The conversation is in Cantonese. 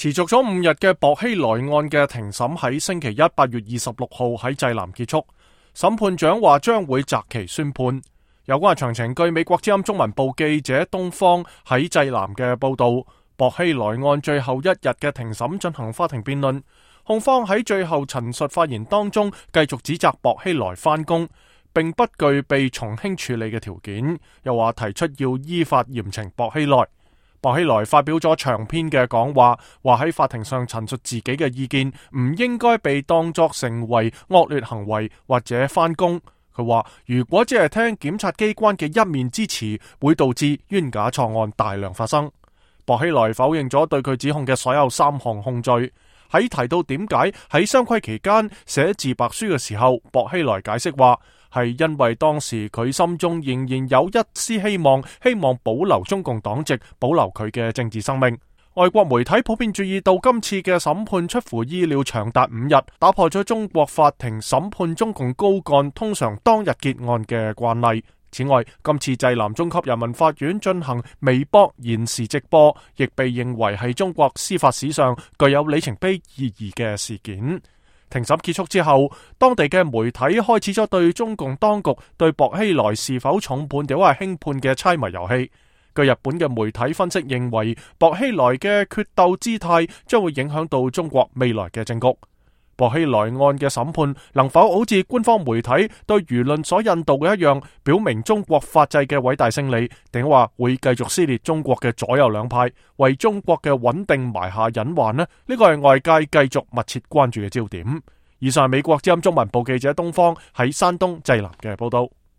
持續咗5日嘅薄熙來案嘅庭審喺星期一8月26號喺濟南結束，審判長話將會擇期宣判。有關嘅詳情，據美國之音中文部記者東方喺濟南嘅報道，薄熙來案最後1日嘅庭審進行法庭辯論，控方喺最後陳述發言當中繼續指責薄熙來翻供，並不具備從輕處理嘅條件，又話提出要依法嚴懲薄熙來。薄熙來發表咗長篇嘅講話，話喺法庭上陳述自己嘅意見唔應該被當作成為惡劣行為或者翻供。佢話如果只係聽檢察機關嘅一面之詞，會導致冤假錯案大量發生。薄熙來否認咗對佢指控嘅所有3項控罪。喺提到點解喺雙規期間寫自白書嘅時候，薄熙來解釋話係因為當時佢心中仍然有一絲希望保留中共黨籍，保留佢嘅政治生命。外國媒體普遍注意到今次嘅審判出乎意料長達5日，打破咗中國法庭審判中共高幹通常當日結案嘅慣例。此外，今次濟南中級人民法院進行微博延時直播，亦被認為係中國司法史上具有里程碑意義嘅事件。庭審結束之後，當地嘅媒體開始咗對中共當局對薄熙來是否重判定係輕判嘅猜謎遊戲。據日本嘅媒體分析認為，薄熙來嘅決鬥姿態將會影響到中國未來嘅政局。薄熙來案嘅審判能否好似官方媒體對輿論所引導嘅一樣，表明中國法制嘅偉大勝利，定話會繼續撕裂中國嘅左右兩派，為中國嘅穩定埋下隱患呢？呢個係外界繼續密切關注嘅焦點。以上係美國之音中文部記者東方喺山東濟南嘅報道。